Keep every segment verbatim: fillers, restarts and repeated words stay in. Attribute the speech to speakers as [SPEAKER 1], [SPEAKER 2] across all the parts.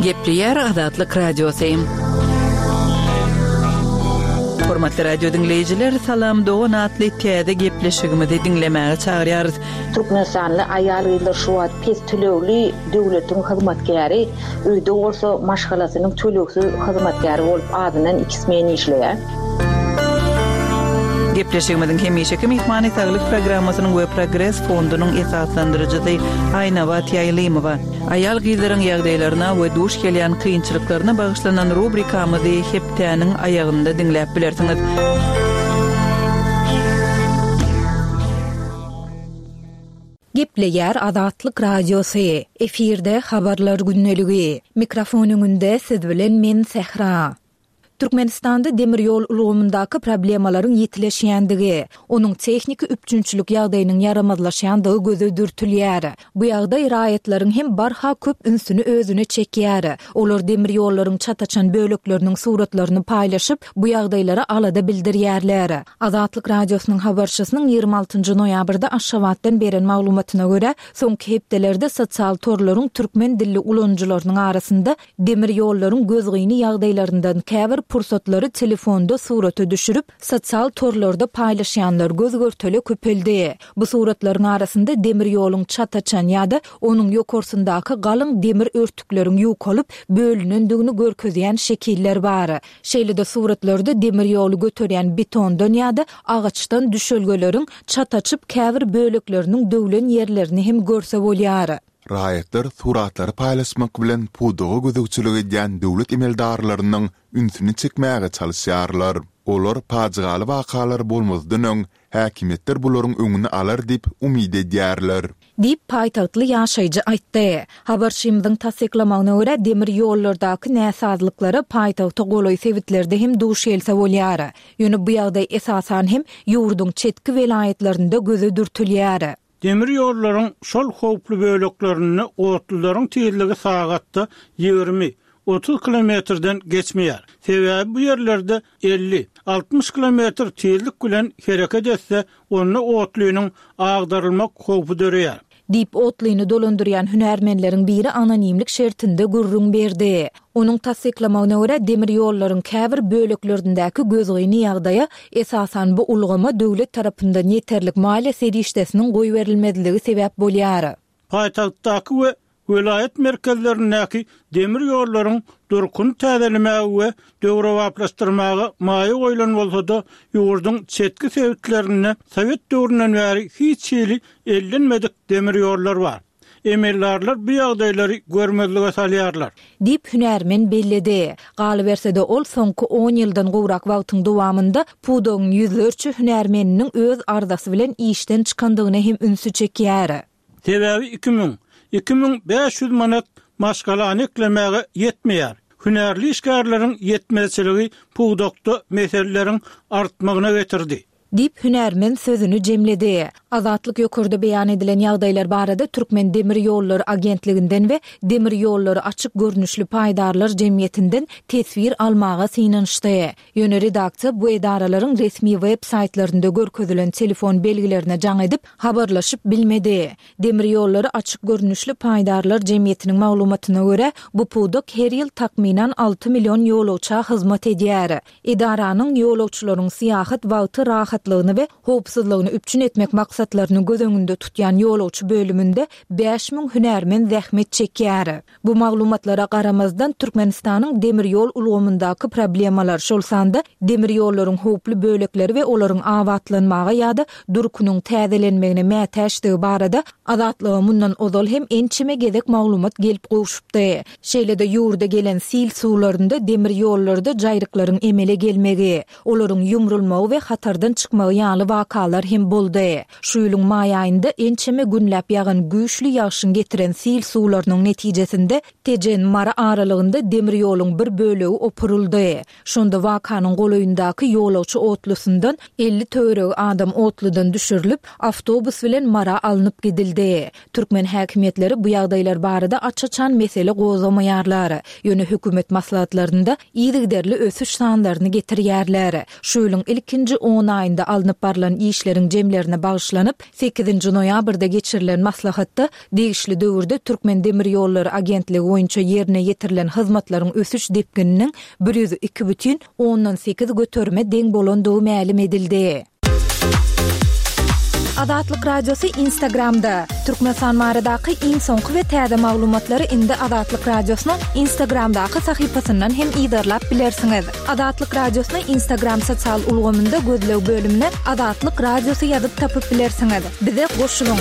[SPEAKER 1] Gepleýär Azatlyk Radiosy. Hormatly radio diňleýjiler, Salam dogan atly täze gepleşigimizi diňlemäge çagyrýarys.
[SPEAKER 2] Türkmenistanly aýal-gyzlar şu wagt pes tölegli döwletiň hyzmatkäri, öýde bolsa maşgalasynyň tölegsiz hyzmatkäri bolup azyndan iki smen işleýär.
[SPEAKER 1] Gepleşigimiziň hemişeki myhmany Saglyk programmasynyň we Progres fondunyň esaslandyryjysy Aýnabat Ýaýlymowa. Aýal-gyzlaryň ýagdaýlaryna we duş gelýän kynçylyklaryna bagyşlanan rubrikamyzy hepdäniň aýagynda diňläp bilersiňiz.
[SPEAKER 3] Gepleýär Azatlyk Radiosy. Efirde habarlar gündeligi. Mikrofon öňünde siz bilen men Sähra. Türkmenistanda demir ýol ulgamyndaky problemalaryň ýetileşýändigi, onuň tehniki üpjünçilik ýagdaýynyň ýaramazlaşýandygy göze dürtülýär. Bu ýagdaý raýatlaryň hem barha köp ünsüni özüne çekýär. Olar demir ýollaryň çataçan bölekleriniň suratlaryny paýlaşyp, bu ýagdaýlara alada bildirýärler. Azatlyk Radiosynyň habarçysynyň ýigrimi altynjy noýabrda Aşgabatdan beren maglumatyna görä, soňky hepdelerde sosial torlaryň türkmen dilli ulanyjylarynyň arasynda demir ýollaryň gözgyny ýagdaýlaryndan käbir pursatlary telefonda surata düşürip, sosial torlarda paýlaşýanlar göz görtele köpeldi. Bu suratlaryň arasynda demir ýoluň çataçan ýa-da onuň ýokarsyndaky galyň demir örtükleriň ýukalyp bölünendigini görkezýän şekiller bar. Şeýle-de suratlarda demir ýoly göterýän betondan ýa-da agaçdan düşelgeleriň çataçyp käbir bölekleriniň döwlen ýerlerini hem görse bolýar.
[SPEAKER 4] Raýatlar suratlary paýlaşmak bilen pudaga gözegçilik edýän döwlet emeldarlarynyň ünsüni çekmäge çalyşýarlar. Olar pajygaly wakalar bolmazdan öň häkimiýetler bularyň öňüni alar diýip umyt edýärler.
[SPEAKER 3] Diýip, paýtagtly ýaşaýjy aýtdy. Habarçymyzyň tassyklamagyna görä, demir ýollardaky näsazlyklara paýtagta golaý sebitlerde hem duş gelse bolýar. Ýöne bu ýagdaý esasan hem ýurduň çetki welaýatlarynda göze dürtülýär.
[SPEAKER 5] Demir ýollaryň şol howply böleklerinde otlularyň tizligi sagatda ýigrimi, otuz kilometrden geçmeýär. Sebäbi bu ýerlerde elli, altmyş kilometr tizlik bilen hereket etse, onda otlynyň agdarylmak howpy döreýär.
[SPEAKER 3] Diýip, otlyny dolandyrýan hünärmenleriň biri anonimlik şertinde gürrüň berdi. Onuň tassyklamagyna görä, demir ýollaryň käbir böleklerindäki gözgyny ýagdaýa esasan bu ulgama döwlet tarapyndan ýeterlik maliýe serişdesiniň goýberilmezligi sebäp bolýar.
[SPEAKER 5] Paýtagtdaky we welaýat merkezlerindäki demir ýollaryň durkuny täzelemäge we döwrebaplaşdyrmaga maýa goýlan bolsa-da, ýurduň çetki sebitlerinde sowet döwründen bäri hiç hili ellenmedik demir ýollar bar. Emeldarlar bu ýagdaýlary görmezlige salýarlar.
[SPEAKER 3] Diýip, hünärmen belledi. Galyberse-de, ol soňky on ýyldan gowrak wagtyň dowamynda pudagyň ýüzlerçe hünärmeniniň öz arzasy bilen işden çykandygyna hem ünsi çekýär.
[SPEAKER 5] Sebäbi iki müň, iki müň bäş ýüz manat maşgalany eklemäge ýetmeýär. Hünärli işgärleriň ýetmezçiligi pudakda meseleleriň artmagyna getirdi.
[SPEAKER 3] Diýip, hünärmen sözüni jemledi. Azatlyk ýokarda beýan edilen ýagdaýlar barada Türkmen demir ýollary agentliginden we Demir ýollary açyk görnüşli paýdarlar jemgyýetinden teswir almaga synanyşdy. Ýöne redaksiýa bu edaralaryň resmi web saýtlarynda görkezilen telefon belgilerine jaň edip, habarlaşyp bilmedi. Demir ýollary açyk görnüşli paýdarlar jemgyýetiniň maglumatyna görä, bu pudak her ýyl takmynan alty million ýolagça hyzmat edýär. Edaranyň ýolagçylaryň syýahat wagty rahatlygyny we howpsuzlygyny üpjün etmek maksatlaryny göz öňünde tutýan ýolagçy bölüminde bäş müň hünärmen zähmet çekýär. Bu maglumatlara garamazdan, Türkmenistanyň demir ýol ulgamyndaky problemalar, şol sanda demir ýollaryň howply bölekleri we olaryň abatlanmaga ýa-da durkunyň täzelenmegine mätäçdigi barada Azatlyga mundan ozal hem ençeme gezek maglumat gelip gowşupdy. Şeýle-de ýurda gelen sil suwlarynda demir ýollarda jaýryklaryň emele gelmegi, olaryň ýumrulmagy we hatardan çykmagy ýaly wakalar hem boldy. Şu ýylyň maý aýynda ençeme günläp ýagan güýçli ýagşyň getiren sil suwlarynyň netijesinde Tejen-Mary aralygynda demir ýoluň bir bölegi opuryldy. Şonda wakanyň golaýyndaky ýolagçy otlusyndan elli töweregi adam otludan düşürilip, awtobus bilen Mara alnyp gidildi. Türkmen häkimiýetleri bu ýagdaýlar barada aç-açan mesele gozgamaýarlar. Ýöne hökümet maslahatlarynda yzygiderli ösüş sanlaryny getirýärler. Şu ýylyň ilkinji on aýynda aýynda alnyp barlan işleriň jemlerine bagyşlanyp, sekizinji noýabrda geçirilen maslahatda degişli döwürde Türkmendemirýollary agentligi boýunça ýerine ýetirilen hyzmatlaryň ösüş depgininiň bir ýüz iki bütin ondan sekiz göterime deň bolandygy mälim edildi. Azatlyk Radiosy Instagramda. Türkmenistan baradaky iň soňky we täze maglumatlary indi Azatlyk Radiosynyň Instagramdaky sahypasyndan hem yzarlap bilersiňiz. Azatlyk Radiosyny Instagram sosial ulgamynda gözleg bölümine Azatlyk Radiosy ýazyp tapyp bilersiňiz. Bize goşulyň!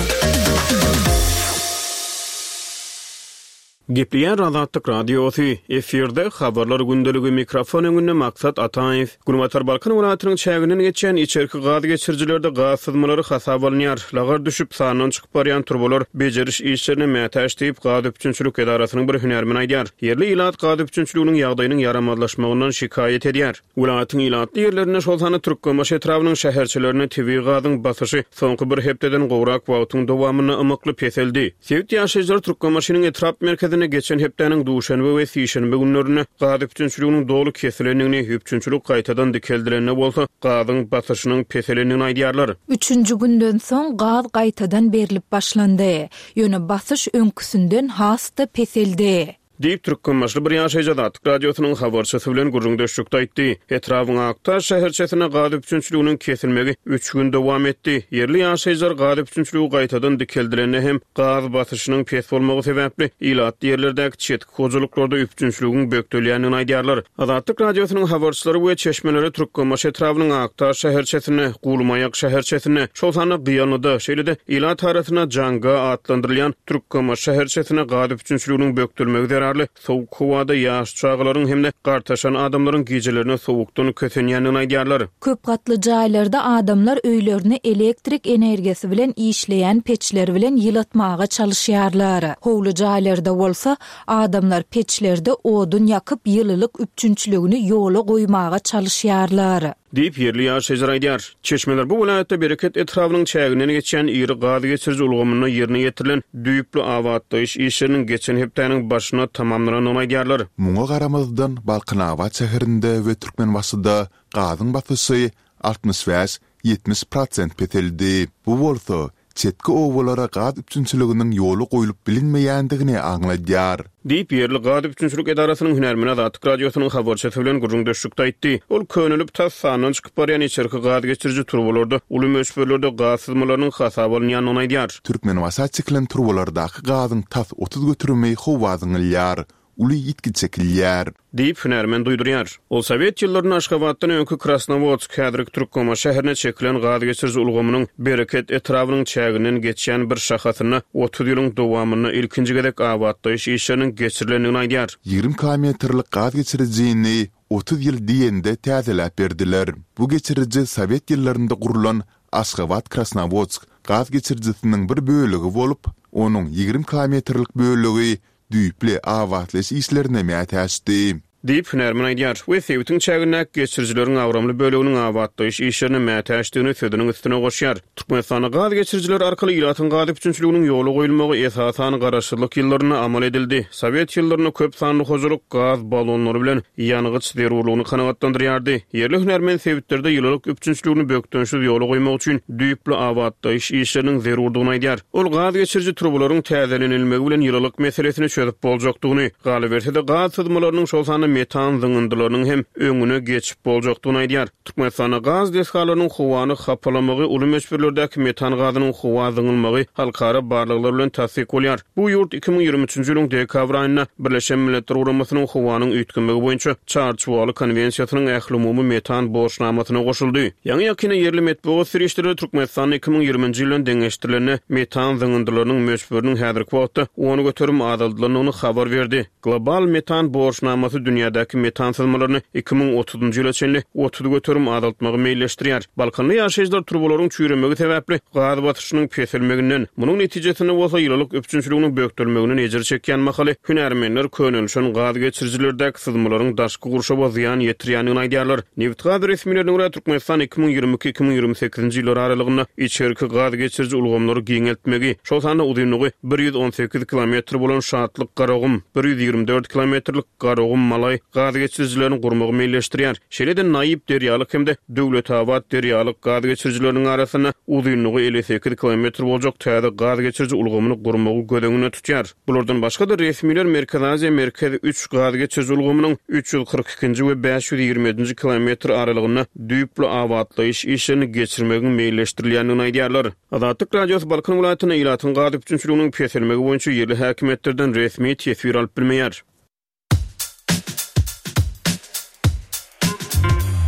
[SPEAKER 6] Gepleýär Azatlyk Radiosy, efirde Habarlar gündeligi, mikrofon öňünde Maksat Ataýew. Günbatar Balkan welaýatynyň çäginden geçýän içerki gaz geçirijilerde gaz syzmalary hasaba alynýar. Lagar düşüp, sandan çykyp barýan turbalar bejeriş işlerine mätäç diýip, gaz üpjünçilik edarasynyň bir hünärmeni aýdýar. Ýerli ilat gaz üpjünçiliginiň ýagdaýynyň ýaramazlaşmagyndan şikaýat edýär. Welaýatyň ilatly ýerlerinde, şol sanda Türkmenbaşy etrabynyň şäherçelerinde tebigy gazyň basyşy soňky bir hepdeden gowrak wagtyň dowamynda ymykly peseldi. Sebit ýaşaýjylary Türkmenbaşynyň etrap merkezinde geçen hepdäniň duşenbe we sişenbe günlerinde gaz üpjünçiliginiň doly kesilendigini, üpjünçilik gaýtadan dikeldilende bolsa gazyň basyşynyň peselendigini aýdýarlar.
[SPEAKER 3] Üçünji günden soň gaz gaýtadan berlip başlandy. Ýöne basyş öňküsinden has-da peseldi.
[SPEAKER 6] Diýip, türkmenbaşyly bir ýaşaýjy Azatlyk Radiosynyň habarçysy bilen gürrüňdeşlikde aýtdy. Etrabyň Aktaş şäherçesinde gaz üpjünçiliginiň kesilmegi üç gün dowam etdi. Ýerli ýaşaýjylar gaz üpjünçiligi gaýtadan dikeldilende hem gaz basyşynyň pes bolmagy sebäpli ilatly ýerlerdäki çetki hojalyklarda üpjünçiligiň bökdelýändigini aýdýarlar. Azatlyk Radiosynyň habarçylary we çeşmeleri Türkmenbaşy etrabynyň Aktaş şäherçesinde, Gulmaýak şäherçesinde, şol sanda Gyýanlyda, şeýle-de ilat arasynda Janga atlandyrylýan Türkmenbaşy şäherçesinde gaz üpjünçiliginiň bökdelmegi zerarly sowuk howada ýaş çagalaryň hem-de gartaşan adamlaryň gijelerine sowukdan kösenýändigini aýdýarlar.
[SPEAKER 3] Köp gatly jaýlarda adamlar öýlerini elektrik energiýasy bilen işleýän peçler bilen ýylatmaga çalyşýarlar. Howly jaýlarda bolsa adamlar peçlerde odun ýakyp ýylylyk üpjünçiligini ýola goýmaga çalyşýarlar.
[SPEAKER 6] Diýip, ýerli ýaşaýjylar aýdýar. Çeşmeler bu welaýatda Bereket etrabynyň çäginden geçýän iri gaz geçiriji ulgamynda ýerine ýetirilen düýpli abatlaýyş işleriniň geçen hepdäniň başynda tamamlanandygyny aýdýarlar.
[SPEAKER 4] Muňa garamazdan, Balkanabat şäherinde we Türkmenbaşyda gazyň basyşy altmyş bäş, ýetmiş prosent peseldi. Bu bolsa, çetki obalara gaz üpjünçiliginiň ýola goýlup bilinmeýändigini aňladýar.
[SPEAKER 6] Diýip, ýerli gaz üpjünçilik edarasynyň hünärmeni Azatlyk Radiosynyň habarçysy bilen gürrüňdeşlikde aýtdy. Ol könelip, tas sandan çykyp barýan içerki gaz geçiriji turbalarda uly möçberlerde gaz syzmalarynyň hasaba alynýandygyny aýdýar.
[SPEAKER 4] Türkmenbaşa çekilen turbalardaky gazyň tas otuz göterimi howa zyňylýar. Uly ýitgi çekilýär.
[SPEAKER 6] Diýip, hünärmen duýdurýar. Ol sowet ýyllarynda Aşgabatdan öňki Krasnowodsk, häzirki Türkmenbaşy şäherine çekilen gaz geçiriji ulgamynyň Bereket etrabynyň çäginden geçýän bir şahasynda otuz ýylyň dowamynda ilkinji gezek abatlaýyş işleriniň geçirilendigini aýdýar.
[SPEAKER 4] Ýigrimi kilometrlik gaz geçirijini otuz ýyl diýende täzeläp berdiler. Bu geçiriji sowet ýyllarynda gurlan Aşgabat-Krasnowodsk gaz geçirijisiniň bir bölegi bolup, onuň ýigrimi kilometrlik bölegi düýpli abatlaýyş işlerine mätäçdi.
[SPEAKER 6] Diýip, hünärmen aýdýar we sebitiň çägindäki geçirijileriň agramly böleginiň abatlaýyş işlerine mätäçdigini sözüniň üstüne goşýar. Türkmenistanda gaz geçirijileri arkaly ilatyň gaz üpjünçiliginiň ýola goýulmagy esasan garaşsyzlyk ýyllarynda amal edildi. Sowet ýyllarynda köp sanly hojalyk gaz ballonlary bilen ýangyç zerurlygyny kanagatlandyrýardy. Ýerli hünärmen sebitlerde ýylylyk üpjünçiligini bökdençsiz ýola goýmak üçin düýpli abatlaýyş işleriniň zerurdygyny aýdýar. Ol gaz geçiriji turbalaryň täzelenilmegi bilen ýylylyk meselesini çözüp boljakdygyny, galyberse-de gaz syzmalarynyň, şol sanda metan zyňyndylarynyň hem öňüne geçip boljakdygyny aýdýar. Türkmenistanda gaz desgalarynyň howany hapalamagy, uly möçberlerdäki metan gazynyň howa zyňylmagy halkara barlaglar bilen tassyk bolýar. Bu ýurt iki müň ýigrimi üçünji ýylyň dekabr aýynda Birleşen Milletler Guramasynyň howanyň üýtgemegi boýunça Çarçuwaly konwensiýasynyň ählumumy metan borçnamasyna goşuldy. Ýaňy-ýakynda ýerli metbugat serişdeleri Türkmenistanda iki müň ýigriminji ýyl bilen deňeşdirilende metan zyňyndylarynyň möçberiniň häzirki wagtda on göterim azaldylandygyny habar berdi. Global metan borçnamasy dünýädäki metan syzmalaryny iki müň otuzynjy ýyla çenli otuz göterim azaltmagy meýilleşdirýär. Balkanly ýaşaýjylar turbalaryň çüýremegi sebäpli gaz basyşynyň peselmeginden, munuň netijesinde bolsa ýylylyk üpjünçiliginiň bökdelmeginden ejir çekýän mahaly hünärmenler könelişen gaz geçirijilerdäki syzmalaryň daşky gurşawa zyýan ýetirýändigini aýdýarlar. Nebitgaz resmilerine görä, Türkmenistan iki müň ýigrimi iki-iki müň ýigrimi sekizinji ýyllar aralygynda içerki gaz geçiriji ulgamlary giňeltmegi, şol sanda uzynlygy bir ýüz on sekiz kilometr bolan Şatlyk-Garagum, bir ýüz ýigrimi dört kilometrlik Garagum-Malaý Nusaý gaz geçirijilerini gurmagy meýilleşdirýär. Şeýle-de Naýyp Derýalyk hem-de Döwletabat Derýalyk gaz geçirijileriniň arasynda uzynlygy elli sekiz kilometr boljak täze gaz geçiriji ulgamyny gurmagy göz öňünde tutýar. Bulardan başga-da resmiler Merkezi Aziýa Merkez üç gaz geçiriji ulgamynyň üç ýüz kyrk ikinji we bäş ýüz ýigrimi ýedinji kilometr aralygynda düýpli abatlaýyş işlerini geçirmegiň meýilleşdirilýändigini aýdýarlar. Azatlyk Radiosy Balkan welaýatynda ilatyň gaz üpjünçiliginiň peselmegi boýunça ýerli häkimiýetlerden resmi teswir alyp bilmeýär.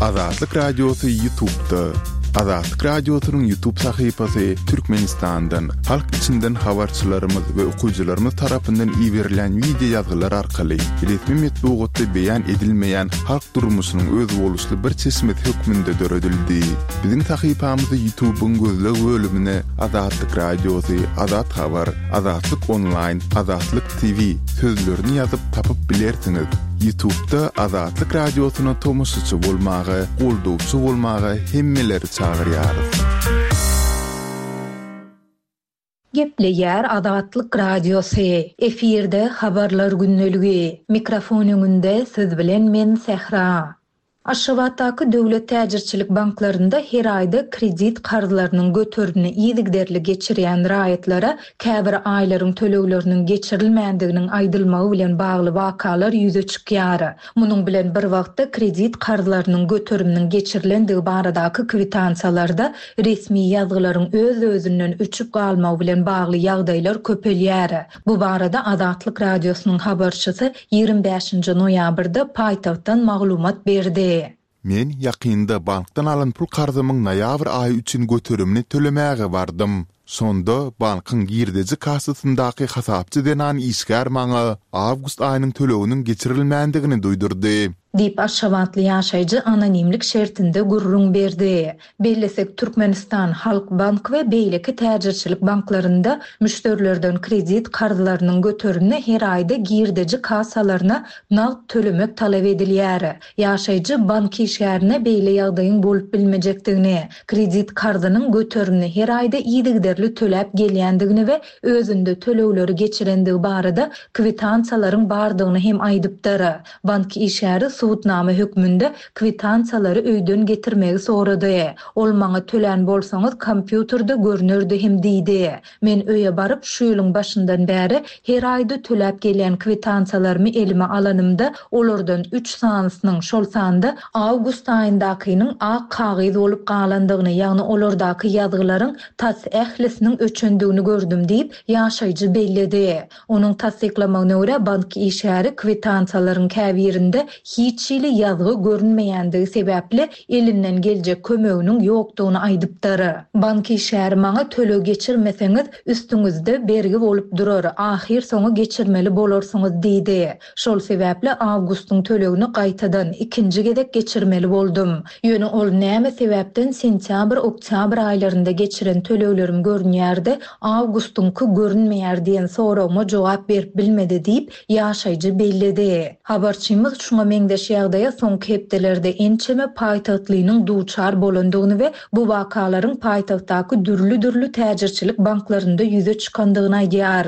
[SPEAKER 4] Azatlyk Radiosy YouTube'da. Azatlyk Radiosynyň YouTube sahypasy Türkmenistandan, halk içinden habarçylarymyz we okyjylarymyz tarapyndan iberilen wideo ýazgylar arkaly resmi metbugatda beýan edilmeýän halk durmuşynyň özboluşly bir çeşmesi hökmünde döredildi. Biziň sahypamyzy YouTube'yň gözleg bölümine Azatlyk Radiosy, Azat Habar, Azatlyk Online, Azatlyk T V sözlerini ýazyp tapyp bilersiňiz. YouTube'da Azatlyk Radiosyna tomaşaçy bolmaga, goldawçy bolmaga hemmeleri çagyrýarys.
[SPEAKER 3] Gepleýär Azatlyk Radiosy. Efirde habarlar gündeligi. Mikrofon öňünde siz bilen men Sähra. Aşgabatdaky döwlet täjirçilik banklarynda her aýda kredit karzlarynyň göterimini yzygiderli geçirýän raýatlara käbir aýlaryň tölegleriniň geçirilmändiginiň aýdylmagy bilen bagly wakalar ýüze çykýar. Munuň bilen bir wagtda kredit karzlarynyň göteriminiň geçirilendigi baradaky kwitansiýalarda resmi ýazgylaryň öz-özünden öçüp galmagy bilen bagly ýagdaýlar köpelýär. Bu barada Azatlyk Radiosynyň habarçysy ýigrimi bäşinji noýabrda paýtagtdan maglumat berdi.
[SPEAKER 4] Men ýakynda bankdan alan pul karzymyň noýabr aýy üçin göterimini tölemäge bardym. Şonda bankyň girdeji kassasyndaky hasapçy zenan işgär maňa awgust aýynyň töleginiň geçirilmändigini duýdurdy.
[SPEAKER 3] Diýip Aşgabatly ýaşaýjy anonimlik şertinde gürrüň berdi. Bellesek Türkmenistan Halk Bank we beýleki täjirçilik banklarynda müşderilerden kredit karzlarynyň göterimini her aýda girdeji kassalaryna nagt tölemek talap edilýär. Ýaşaýjy bank işgärine beýle ýagdaýyň bolup bilmejekdigini, kredit karzynyň göterimini her aýda yzygiderli töläp gelýändigini we özünde tölegleri geçirendigi barada kwitansiýalaryň bardygyny hem aýdypdyr. Bank işgäri subutnama hökmünde kwitansiýalary öýden getirmegi sorady. Ol maňa tölän bolsaňyz kompýuterde görnerdi hem diýdi. Men öýe baryp şu ýylyň başyndan bäri her aýda töläp gelýän kwitansiýalarymy elime alanymda olardan üç sanysynyň şol sanda awgust aýyndakynyň ak kagyz bolup galandygyny, ýagny olardaky ýazgylaryň tas ählisiniň öçendigini gördüm diýip ýaşaýjy belledi. Onuň tassyklamagyna görä bank işgäri kwitansiýalaryň käbirinde hiç hili ýazgy görünmeýändigi sebäpli elinden geljek kömeginiň ýokdugyny aýdypdyr. Bank işgäri maňa töleg geçirmeseňiz üstüňizde bergi bolup durar, ahyr soňy geçirmeli bolarsyňyz diýdi. Şol sebäpli awgustyň tölegini gaýtadan ikinji gezek geçirmeli boldum. Ýöne ol näme sebäpden sentýabr, oktýabr aýlarynda geçiren töleglerim görünýärdi, awgustyňky görünmeýär diýen soragyma jogap berip bilmedi diýip ýaşaýjy belledi. Habarçymyz şuňa meňzeş ýagdaýa soňky hepdelerde ençeme paýtagtlynyň duçar bolandygyny we bu wakalaryň paýtagtdaky dürli-dürli täjirçilik banklarynda ýüze çykandygyny aýdýar.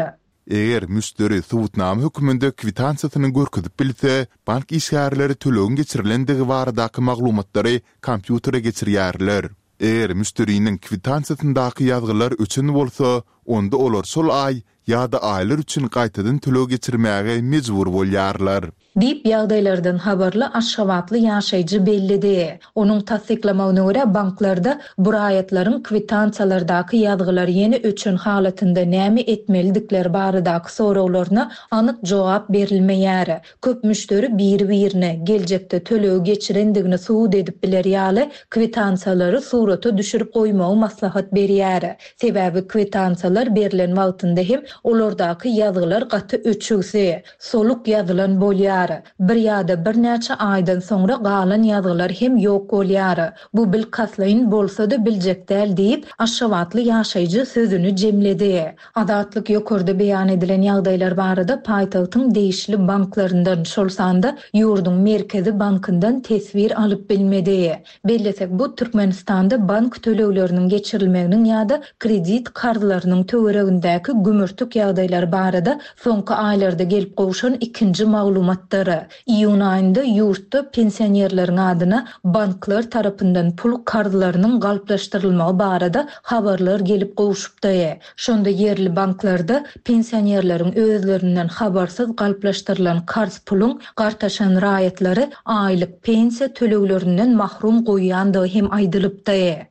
[SPEAKER 4] Eger müşderi subutnama hökmünde kwitansiýasyny görkezip bilse, bank işgärleri tölegiň geçirilendigi baradaky maglumatlary kompýutere geçirýärler. Eger müşderiniň kwitansiýasyndaky ýazgylar öçen bolsa, onda olar şol aý ýa-da aýlar üçin gaýtadan töleg geçirmäge mejbur bolýarlar.
[SPEAKER 3] Diýip ýagdaýlardan habarly Aşgabatly ýaşaýjy belledi. Onuň tassyklamagyna görä banklarda bu raýatlaryň kwitansiýalardaky ýazgylar ýene öçen halatynda näme etmelidikleri baradaky soraglaryna anyk jogap berilmeýär. Köp müşderi biri-birine geljekde tölegi geçirendigini subut edip biler ýaly kwitansiýalary surata düşürip goýmagy maslahat berýär. Sebäbi kwitansiýalar berilen wagtynda hem olardaky ýazgylar gaty öçügsi, soluk ýazylan bolýar. Bir ýa-da birnäçe aýdan soňra galan ýazgylar hem ýok bolýar. Bu bilkastlaýyn bolsa-da biljek däl diýip Aşgabatly ýaşaýjy sözüni jemledi. Azatlyk ýokarda beýan edilen ýagdaýlar barada paýtagtyň degişli banklaryndan, şol sanda ýurduň Merkezi bankyndan teswir alyp bilmedi. Bellesek bu Türkmenistanda bank tölegleriniň geçirilmeginiň ýa-da kredit karzlarynyň töweregindäki gümürtik ýagdaýlary barada soňky aýlarda gelip gowşan ikinji maglumatdyr. Iýun aýynda ýurtda pensionerleriň adyna banklar tarapyndan pul karzlarynyň galplaşdyrylmagy barada habarlar gelip gowşupdy. Şonda ýerli banklarda pensionerleriň özlerinden habarsyz galplaşdyrylan karz puluň gartaşan raýatlary aýlyk pensiýa töleglerinden mahrum goýýandygy hem aýdylypdy.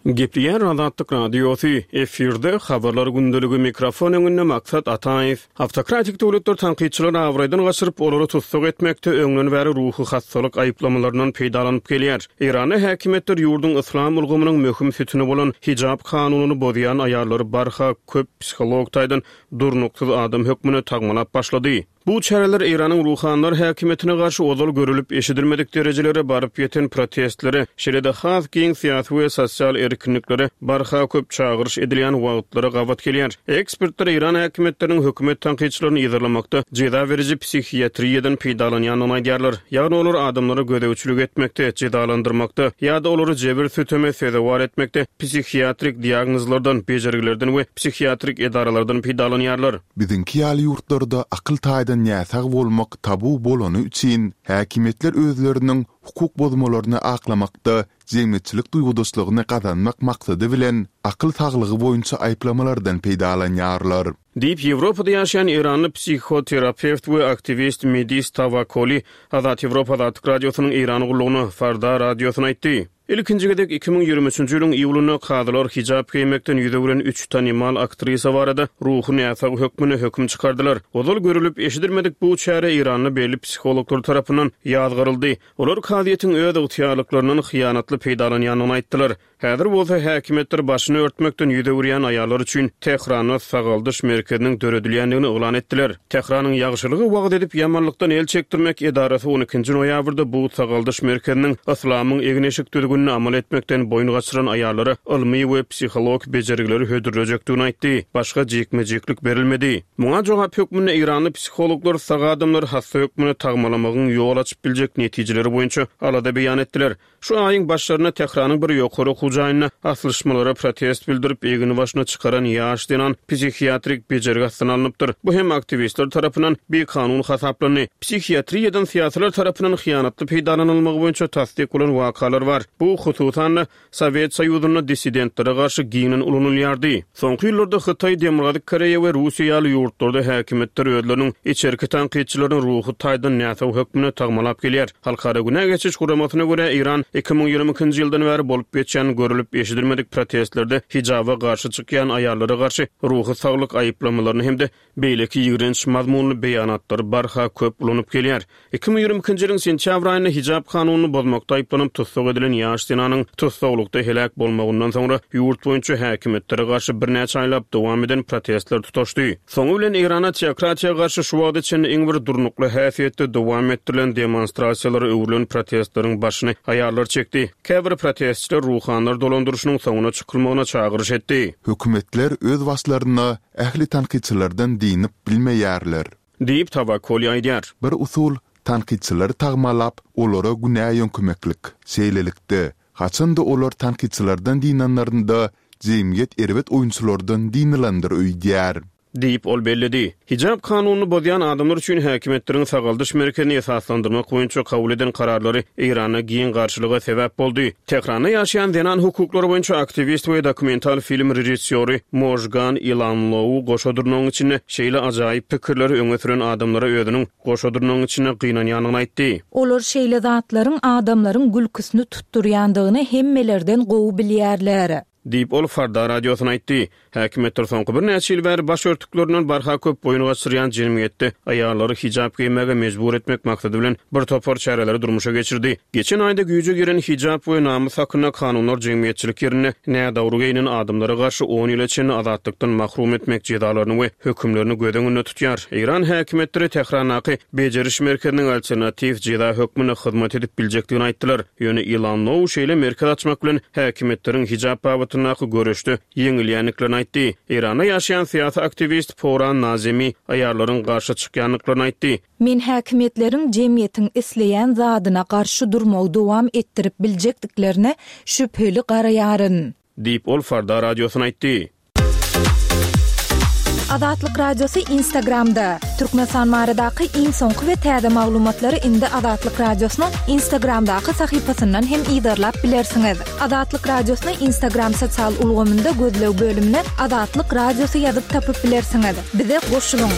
[SPEAKER 6] Gepleýär Azatlyk Radiosy, efirde habarlar gündeligi mikrofon öňünde Maksat Ataýew. Awtokratik döwletler tankytçylary abraýdan gaçyryp, olary tussag etmekde öňden bäri ruhy hassalyk aýyplamalaryndan peýdalanyp gelýär. Eýranda häkimiýetler ýurduň yslam ulgamynyň möhüm sütüni bolan hijab kanunyny bozýan aýallary barha köp psiholog taýdan durnuksyz adam hökmünde tagmalap başlady. Bu çäreler Eýranyň ruhanylar häkimiýetine garşy ozal görülip eşidilmedik derejelere baryp ýeten protestlere, şeýle-de has giň syýasy we sosial erkinliklere barha köp çagyryş edilýän wagtlara gabat gelýär. Ekspertler Eýran häkimiýetleriniň hökümet tankytçylaryny yzarlamakda jeza beriji psihiatriýadan peýdalanýandygyny aýdýarlar. Ýagny olar adamlara gözegçilik etmekde, jezalandyrmakda ýa-da olary jebir süteme sezewar etmekde psihiatrik diagnozlardan, bejergilerden we psihiatrik edaralardan peýdalanýarlar.
[SPEAKER 4] Biziňki ýaly ýurtlarda akyl taýdan näsag bolmak tabu bolany üçin häkimiýetler özleriniň hukuk bozmalaryny aklamakda jemgyýetçilik duýgudaşlygyny gazanmak maksady bilen akyl saglygy boýunça aýyplamalardan peýdalanýarlar.
[SPEAKER 6] Diýip, Ýewropada ýaşaýan Eýranly psihoterapewt we aktiwist Medis Tawakoli Azat Ýewropa Azatlyk Radiosynyň Eýran gullugyna Farda radiosyna aýtdy. Ilkinji gezek iki müň ýigrimi üçünji ýylyň iýulynda kazylar hijab geýmekden ýüz öwren üç tanymal aktrisa barada ruhy näsag hökmünde höküm çykardylar. Ozal görülip eşidilmedik bu çäre Eýranda belli psihologlar tarapyndan ýazgaryldy. Olar kazyýetiň öz ygtyýarlyklaryndan hyýanatly peýdalanýandygyny aýtdylar. Häzir bolsa häkimiýetler başyny örtmekden ýüz öwürýän aýallar üçin Tähranda sagaldyş merkeziniň döredilýändigini yglan etdiler. Tähranyň ýagşylygy wagyz edip ýamanlykdan el çekdirmek edarasy on ikinji noýabrda bu sagaldyş merkeziniň yslamyň egin-eşik düzgünini amal etmekden boýun gaçyran aýallara ylmy we psihologik bejergileri hödürlejekdigini aýtdy. Başga jikme-jiklik berilmedi. Muňa jogap hökmünde Eýranly psihologlar sag adamlary hassa hökmünde tagmalamagyň ýol açyp biljek netijeleri boýunça alada beýan etdiler. Şu aýyň başlarynda Tähranyň bir ýokary okuw jaýynda aslyşmalara protest bildirip, egini başyna çykaran ýaş zenan psihiatrik bejergi astyna alnypdyr. Bu hem aktiwistler tarapyndan bikanun hasaplandy. Psihiatriýadan syýasylar tarapyndan hyýanatly peýdalanylmagy boýunça tassyk bolan wakalar bar. Bu hususan-da Sowet Soýuzynda dissidentlere garşy giňden ulanylýardy. Soňky ýyllarda Hytaý, Demirgazyk Koreýa we Russiýa ýaly ýurtlarda häkimiýetler özleriniň içerki tankytçylaryny ruhy taýdan näsag hökmünde tagmalap gelýär. Halkara günä geçiş guramasyna görä Eýran iki müň ýigrimi ikinji ýyldan bäri bolup geçýän görülip eşidilmedik protestlerde hijaba garşy çykýan aýallara garşy ruhy saglyk aýyplamalaryny hem-de beýleki ýigrenç mazmunly beýanatlary barha köp ulanyp gelýär. Iki müň ýigrimi ikinji ýylyň sentýabr aýynda hijab kanunyny bozmakda aýyplanyp tussag edilen ýaş zenanyň tussaglykda heläk bolmagyndan soňra ýurt boýunça häkimiýetlere garşy birnäçe aýlap dowam eden protestler tutaşdy. Soňy bilen Eýrana teokratiýa garşy şu wagta çenli iň bir durnukly häsiýetde dowam etdirilen demonstrasiýalara öwrülen protestleriň başyny aýallar çekdi. Käbir protestçiler ruhanylar dolandyryşynyň soňuna çykylmagyna çagyryş etdi.
[SPEAKER 4] Hökümetler öz başlaryna ähli tankytçylardan diýnip bilmeýärler.
[SPEAKER 6] Diýip Tawakoli aýdýar.
[SPEAKER 4] Bir usul tankytçylary tagmalap, olara günä ýöňkemeklik. Şeýlelikde, haçanda olar tankytçylardan diýnenlerinde jemgyýet erbet oýunçylardan diýnilendir öýdýär.
[SPEAKER 6] Diýip ol belledi. Hijab kanunyny bozýan adamlar üçin häkimiýetleriň sagaldyş merkezini esaslandyrmak boýunça kabul eden kararlary Eýranda giň garşylyga sebäp boldy. Tähranda ýaşaýan zenan hukuklary boýunça aktiwist we dokumental film režissýory Mojgan Ilanlou goşa durnagyň içinde şeýle ajaýyp pikirleri öňe süren adamlara özüniň goşa durnagyň içinde gynanýandygyny aýtdy.
[SPEAKER 3] Olar şeýle zatlaryň adamlaryň gülküsini tutdurýandygyny hemmelerden gowy bilýärler.
[SPEAKER 6] Diýip ol Farda radiosyna aýtdy. Häkimiýetler soňky birnäçe ýyl bäri baş örtüklerinden barha köp boýun gaçyrýan jemgyýetde aýallary hijab geýmäge mejbur etmek maksady bilen bir topar çäreleri durmuşa geçirdi. Geçen aýda güýje giren hijab we namys hakynda kanunlar jemgyýetçilik ýerinde nädogry geýinen adamlara garşy on ýyla çenli azatlykdan mahrum etmek jezalaryny we hökümlerini göz öňünde tutýar. Eýran häkimiýetleri Tährandaky bejeriş merkeziniň alternatiw jeza hökmünde hyzmat edip biljekdigini aýtdylar. Ýöne Ilanlou şeýle merkez açmak bilen häkimiýetleriň hijab babatda wagtyndaky göreşde ýeňilýändiklerini aýtdy. Eýranda ýaşaýan syýasy aktiwist Poran Nazemi aýallaryň garşy çykýandyklaryny aýtdy.
[SPEAKER 3] Men häkimiýetleriň jemgyýetiň isleýän zadyna garşy durmagy dowam etdirip biljekdiklerine şübheli garaýaryn.
[SPEAKER 6] Diýip ol Farda radiosyna aýtdy.
[SPEAKER 3] Azatlyk Radiosy Instagramda. Türkmenistan baradaky iň soňky we täze maglumatlary indi Azatlyk Radiosynyň Instagramdaky sahypasyndan hem yzarlap bilersiňiz. Azatlyk Radiosyny Instagram sosial ulgamynda gözleg bölümine Azatlyk Radiosy ýazyp tapyp bilersiňiz. Bize goşulyň.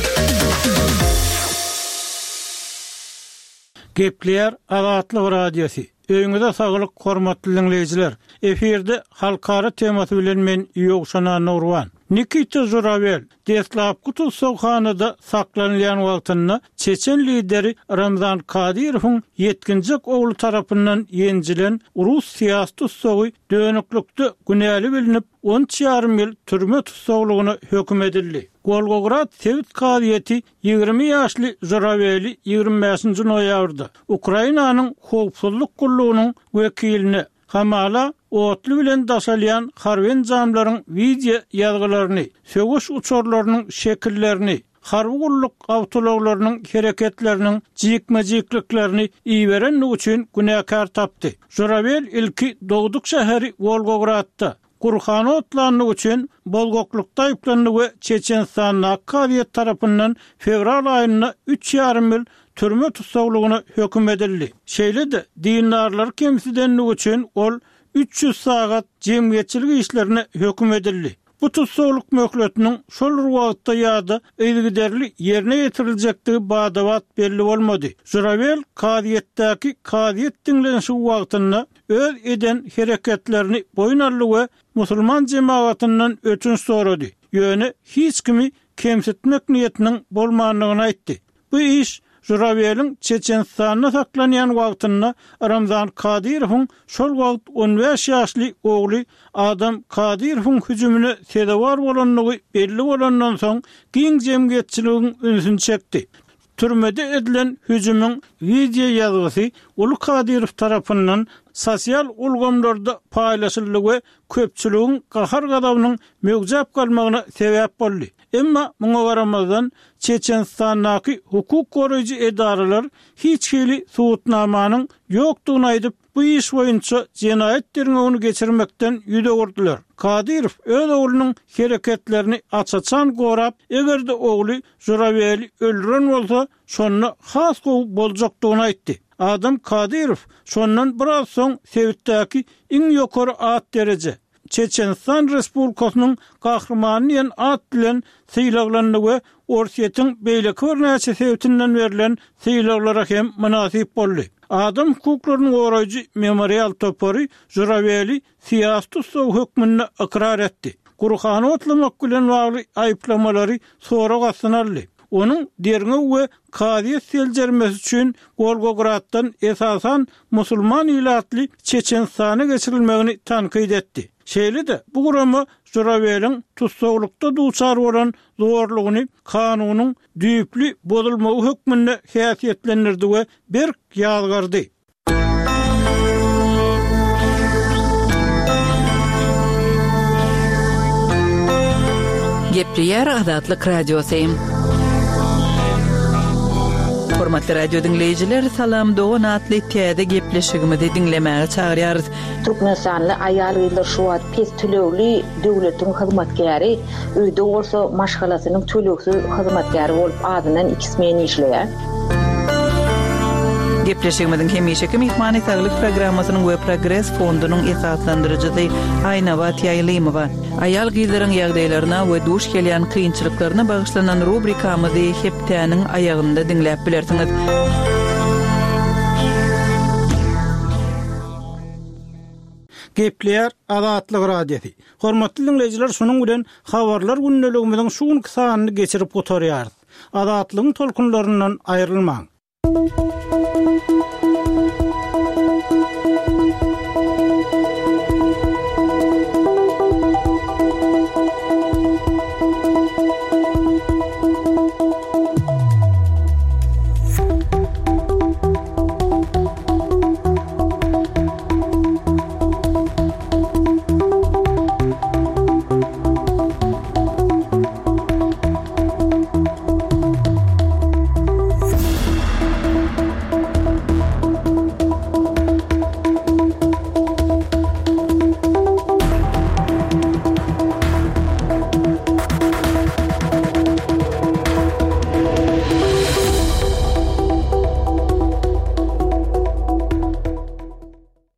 [SPEAKER 5] Gepleýär Azatlyk Radiosy. Öýüňize saglyk, hormatly dinleýjiler. Efirde halkara temasy bilen men Ýowşan Nurwan. Nikita Žurawel deslapky tussaghanada saklanylýan wagtynda Çeçen lideri Ramzan Kadyrowyň ýetginjek ogly tarapyndan ýenjilen rus syýasy tussagy dönüklikde günäli bilinip on üç ýarym ýyl türme tussaglygyna höküm edildi. Wolgograd sebit kazyýeti ýigrimi ýaşly Žuraweli ýigrimi bäşinji noýabrda Ukrainanyň howpsuzlyk gullugynyň wekiline Hamala otly bilen daşalýan harby enjamlaryň wideo ýazgylaryny, söweş uçarlarynyň şekillerini, harby gulluk awtoulaglarynyň hereketleriniň jikme-jikliklerini iberenligi üçin günäkär tapdy. Žurawel ilki dogduk şäheri Wolgogradda Gurhany otlandygy üçin bolgoklukda aýyplandy we Çeçenistandaky kazyýet tarapyndan fewral aýynda üç ýarym ýyl türme tussaglygyna höküm edildi. Şeýle-de dindarlary kemsidenligi üçin ol üç ýüz sagat jemgyýetçilik işlerine höküm edildi. Bu tussaglyk möhletiniň şol bir wagtda ýa-da yzygiderli ýerine ýetiriljekdigi bada-bat belli bolmady. Žurawel kazyýetdäki kazyýet diňlenişigi wagtynda öz eden hereketlerini boýun aldy we musulman jemagatyndan ötünç sorady. Ýöne hiç kimi kemsitmek niýetiniň bolmandygyny aýtdy. Bu iş Žuraweliň Çeçenistanda saklanýan wagtynda Ramzan Kadyrowyň şol wagt on bäş ýaşly ogly Adam Kadyrowyň hüjümine sezewar bolandygy belli bolandan soň giň jemgyýetçiligiň ünsüni çekdi. Türmede edilen hüjümiň wideo ýazgysy Uly Kadyrow tarapyndan sosial ulgamlarda paýlaşyldy we köpçüligiň gahar-gazabynyň möwjäp galmagyna sebäp boldy. Emma muňa garamazdan Çeçenistandaky hukuk goraýjy edaralar hiç hili subutnamanyň ýokdugyny aýdyp, bu iş boýunça jenaýat derňewini geçirmekden ýüz öwürdiler. Kadyrow öz oglunyň hereketlerini aç-açan gorap, eger-de ogly Žuraweli öldüren bolsa, şonda has gowy boljakdygyny aýtdy. Adam Kadyrow şondan biraz soň sebitdäki iň ýokary at dereje Çeçenistan Respublikasynyň gahrymany diýen at bilen sylaglandy we Orsýetiň beýleki birnäçe sebitinden berlen sylaglara hem mynasyp boldy. Adam hukuklaryny goraýjy memorial topary Žuraweli syýasy tussag hökmünde ykrar etdi. Gurhany otlamak bilen bagly aýyplamalary sorag astyna aldy. Onuň derňew we kazyýet seljermesi üçin Wolgograddan esasan musulman ilatly Çeçenistana geçirilmegini tankyt etdi. Şeýle-de bu gurama Žuraweliň tussaglykda duçar bolan zorlugyny kanunyň düýpli bozulmagy hökmünde häsiýetlendirdi we berk ýazgardy.
[SPEAKER 1] Gepleýär Azatlyk Radiosy. Hormatly radio diňleýjiler, Salam Dogan atly täze gepleşigimizi diňlemäge çagyrýarys.
[SPEAKER 2] Türkmenistanly aýal gyzlar şu wagt pes tölegli döwletiň hyzmatkäri, öýde bolsa maşgalasynyň tölegsiz hyzmatkäri bolup azyndan iki smen işleýär.
[SPEAKER 1] Gepleşigimiziň hemişeki myhmany Saglyk programmasynyň we Progres fondunyň esaslandyryjysy Aýnabat Ýaýlymowa. Aýal gyzlaryň ýagdaýlaryna we duş gelýän kynçylyklaryna bagyşlanan rubrikamyzy hepdäniň aýagynda diňläp bilersiňiz.
[SPEAKER 5] Gepleýär Azatlyk Radiosy. Hormatly dinleýjiler, şunuň bilen habarlar gündeligimiziň şu günki sanyny geçirip gutarýarys. Azatlygyň tolkunlaryndan aýrylmaň.